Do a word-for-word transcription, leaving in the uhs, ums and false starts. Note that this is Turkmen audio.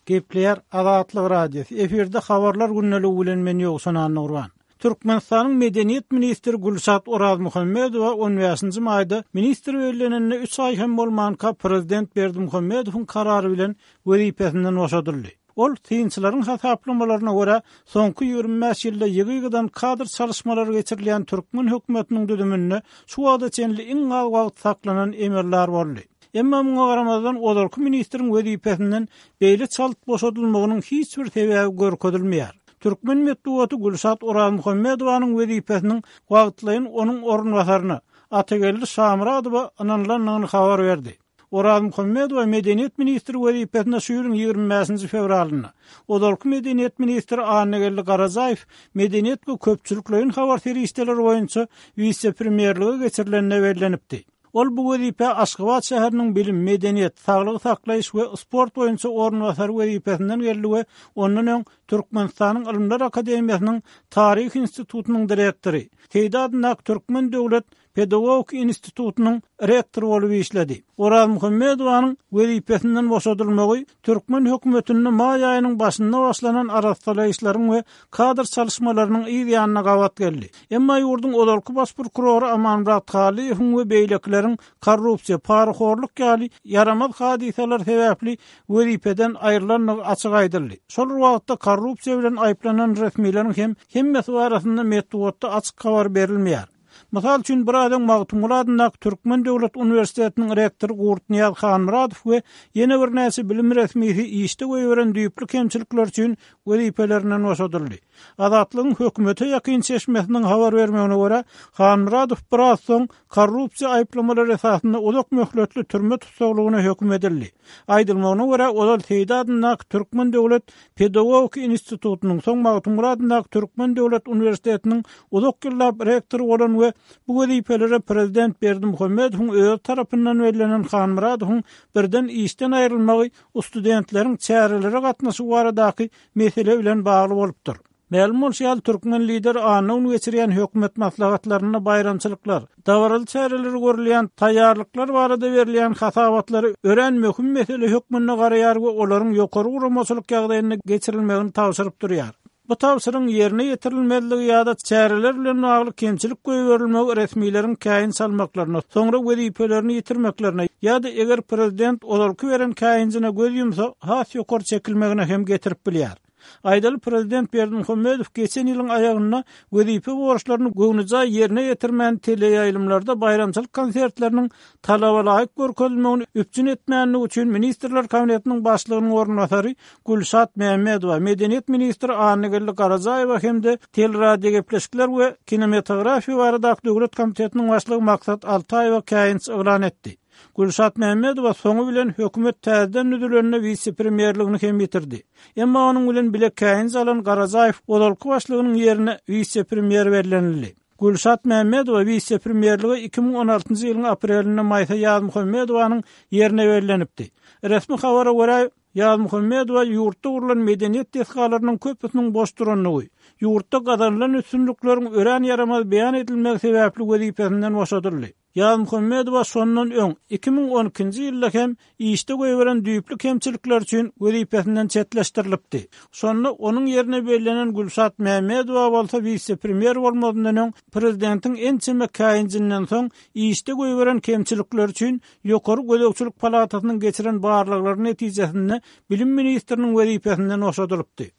Gepleýär Azatlyk Radiosy. Efirde habarlar gündeligi bilen men Ýowşan Annagurban. Türkmenistanyň medeniýet ministri Gülşat Orazmuhammedowa on bäşinji maýda ministr bellenenine üç aý hem bolmanka prezident Berdimuhamedowyň karary bilen wezipesinden boşadyldy. Ol synçylaryň hasaplamalaryna görä, soňky ýigrimi bäş ýylda ýygy-ýygydan kadr çalyşmalary geçirilýän türkmen hökümetiniň düzüminde şu wagta çenli iň az wagt saklanan emeldar boldy. Emma muňa garamazdan ozalky ministriň wezipesinden beýle çalt boşadylmagynyň hiç bir sebäbi görkezilmeýär. Türkmen metbugaty Gülşat Orazmuhammedowanyň wezipesiniň wagtlaýyn onuň orunbasaryna Atageldi Şamyradowa ynanylandygyny habar berdi. Orazmuhammedowa medeniýet ministri wezipesine şu ýylyň ýigrimi bäşinji fewralynda, ozalky medeniýet ministri Annageldi Garajaýew medeniýet we köpçülikleýin habar serişdeleri boýunça wise-premýerlige geçirilende bellenipdi. Ol bu wezipä Aşgabat şäheriniň bilim, medeniýet, saglygy saklaýyş we sport boýunça orunbasary wezipesinden geldi we ondan öň Türkmenistanyň Ylymlar akademiýasynyň Taryh institutynyň direktory, Seýdi adyndaky Türkmen döwlet pedagogik institutynyň rektory bolup işledi. Orazmuhammedowanyň wezipesinden boşadylmagy türkmen hökümetinde maý aýynyň başynda başlanan arassalaýyşlaryň we kadr çalyşmalarynyň yz ýanyna gabat geldi. Emma ýurduň ozalky baş prokurory Amanmyrat Halyýewiň we beýlekileriň korrupsiýa, parahorluk ýaly ýaramaz hadysalar sebäpli wezipeden aýrylandygy açyk aýdyldy. Şol bir wagtda korrupsiýa bilen aýyplanan resmileriň hem hemmesi barasynda metbugatda açyk habar berilmeýär. Mysal üçin, biraz öň Magtymguly adyndaky Türkmen döwlet uniwersitetiniň rektory Gurtnyýaz Hanmyradow we ýene birnäçe bilim resmisi işde goýberen düýpli kemçilikler üçin wezipelerinden boşadyldy. Azatlygyň hökümete ýakyn çeşmesiniň habar bermegine görä, Hanmyradow biraz soň korrupsiýa aýyplamalary esasynda uzak möhletli türme tussaglygyna höküm edildi. Aýdylmagyna görä, ozal Seýdi adyndaky Türkmen döwlet pedagogik institutynyň, soň Magtymguly adyndaky Türkmen döwlet uniwersitetiniň uzak ýyllap rektory bolan we bu wezipelere prezident Berdimuhamedowyň özi tarapyndan bellenen Hanmyradowyň birden işden aýrylmagy studentleriň çärelere gatnaşygy baradaky mesele bilen bagly bolupdyr. Mälim bolşy ýaly, türkmen lideri anna güni geçirýän hökümet maslahatlarynda baýramçylyklar, dabaraly çäreleri görülýän taýýarlyklar barada berilýän hasabatlary örän möhüm mesele hökmünde garaýar we olaryň ýokary guramaçylyk ýagdaýynda geçirilmegini tabşyryp durýar. Bu tabşyryň ýerine ýetirilmezligi ýa-da çäreler bilen bagly kemçilik goýberilmegi resmileriň käýinç almaklaryna, soňra wezipelerini ýitirmeklerine ýa-da eger prezident ozalky beren käýinjine göz ýumsa, has ýokary çekilmegine hem getirip bilýär. Aýdaly, prezident Berdimuhamedow geçen ýylyň aýagynda wezipe borçlaryny göwnüjaý ýerine ýetirmän teleýaýlymlarda baýramçylyk konsertleriniň talaba laýyk görkezilmegini üpjün etmänligi üçin Ministrler Kabinetiniň başlygynyň orunbasary Gülşat Mämmedowa, medeniýet ministri Annageldi Garajaýewa hem-de teleradiogepleşikler we kinematografiýa baradaky döwlet komitetiniň başlygy Maksat Altaýewa käýinç yglan etdi. Gülşat Mämmedowa soňy bilen hökümet täzeden düzülende wise-premýerligini hem ýitirdi. Emma onuň bilen bile käýinç alan Garajaýew ozalky başlygynyň ýerine wise-premýer bellenildi. Gülşat Mämmedowa wise-premýerlige iki müň on altynjy ýylyň aprelinde Maýsa Ýazmuhammedowanyň ýerine bellenipdi. Resmi habara görä, Ýazmuhammedowa ýurtda gurlan medeniýet desgalarynyň köpüsiniň boş durandygy, ýurtda gazanylan üstünlikleriň örän ýaramaz beýan edilmegi sebäpli wezipesinden boşadyldy. Ýazmuhammedowa şondan öň iki müň on ikinji ýylda hem işde goýberen düýpli kemçilikler üçin wezipesinden çetleşdirilipdi. Şonda onuň ýerine bellenen Gülşat Mämmedowa bolsa wise-premýer bolmazyndan öň prezidentiň ençeme käýinjinden soň işde goýberen kemçilikler üçin Ýokary gözegçilik palatasynyň geçiren barlaglary netijesinde bilim ministriniň wezipesinden boşadylypdy.